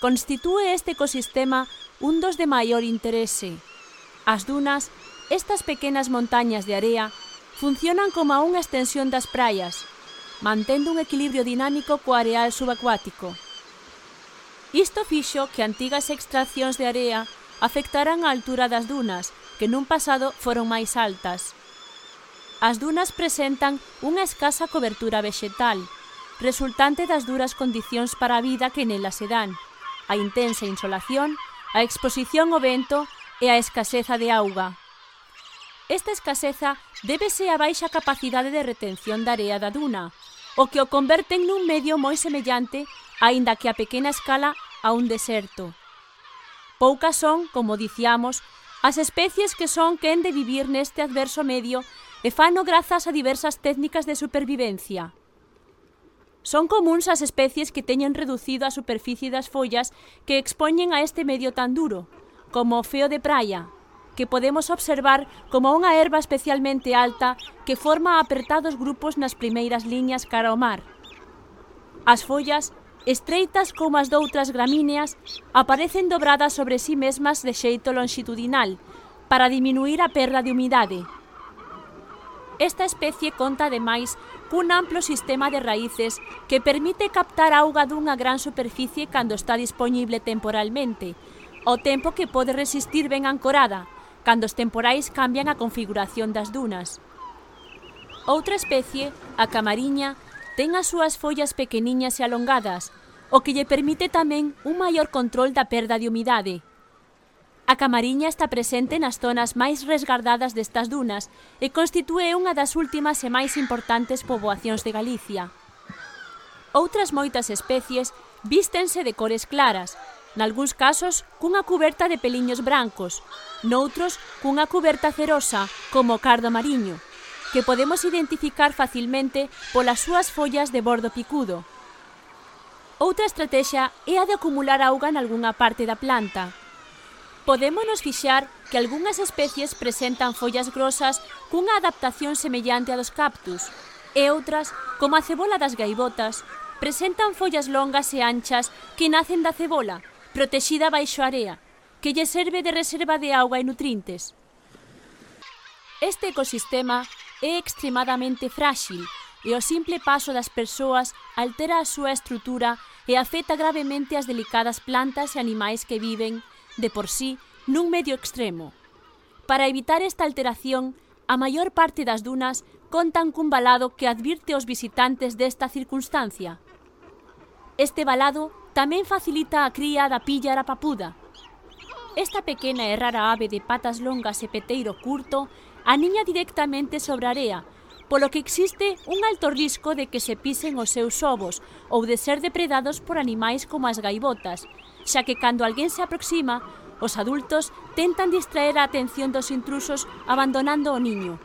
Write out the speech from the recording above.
Constitúe este ecosistema un dos de maior interese. As dunas, estas pequenas montañas de area, funcionan como unha extensión das praias, mantendo un equilibrio dinámico co areal subacuático. Isto fixo que antigas extraccións de area afectaran a altura das dunas, que nun pasado foron máis altas. As dunas presentan unha escasa cobertura vexetal, resultante das duras condicións para a vida que nelas se dan, a intensa insolación, a exposición ao vento e a escaseza de auga. Esta escaseza débese á baixa capacidade de retención da area da duna, o que o converten nun medio moi semellante, aínda que a pequena escala, a un deserto. Poucas son, como diciamos, as especies que son quen de vivir neste adverso medio e fano grazas a diversas técnicas de supervivencia. Son comúns as especies que teñen reducido a superficie das follas que expoñen a este medio tan duro, como o feo de praia, que podemos observar como unha herba especialmente alta que forma apertados grupos nas primeiras liñas cara ao mar. As follas, estreitas como as doutras gramíneas, aparecen dobradas sobre si mesmas de xeito longitudinal, para diminuir a perda de humidade. Esta especie conta ademais cun amplo sistema de raíces que permite captar auga dunha gran superficie cando está dispoñible temporalmente, ao tempo que pode resistir ben ancorada, cando os temporais cambian a configuración das dunas. Outra especie, a camariña, ten as súas follas pequeniñas e alongadas, o que lle permite tamén un maior control da perda de humidade. A camariña está presente nas zonas máis resgardadas destas dunas e constitúe unha das últimas e máis importantes poboacións de Galicia. Outras moitas especies vístense de cores claras, nalgúns casos cunha cuberta de peliños brancos, noutros cunha cuberta cerosa, como o cardo mariño, que podemos identificar facilmente polas súas follas de bordo picudo. Outra estratexia é a de acumular auga nalgunha parte da planta. Podémonos fixar que algunhas especies presentan follas grosas cunha adaptación semellante a dos cactus, e outras, como a cebola das gaivotas, presentan follas longas e anchas que nacen da cebola, protexida baixo a area, que lle serve de reserva de auga e nutrintes. Este ecosistema é extremadamente frágil e o simple paso das persoas altera a súa estrutura e afecta gravemente as delicadas plantas e animais que viven, de por sí, nun medio extremo. Para evitar esta alteración, a maior parte das dunas contan cun valado que advirte aos visitantes desta circunstancia. Este valado tamén facilita a cría da píllara papuda. Esta pequena e rara ave de patas longas e peteiro curto aniña directamente sobre a area, polo que existe un alto risco de que se pisen os seus ovos ou de ser depredados por animais como as gaivotas, xa que cando alguén se aproxima, os adultos tentan distraer a atención dos intrusos abandonando o niño,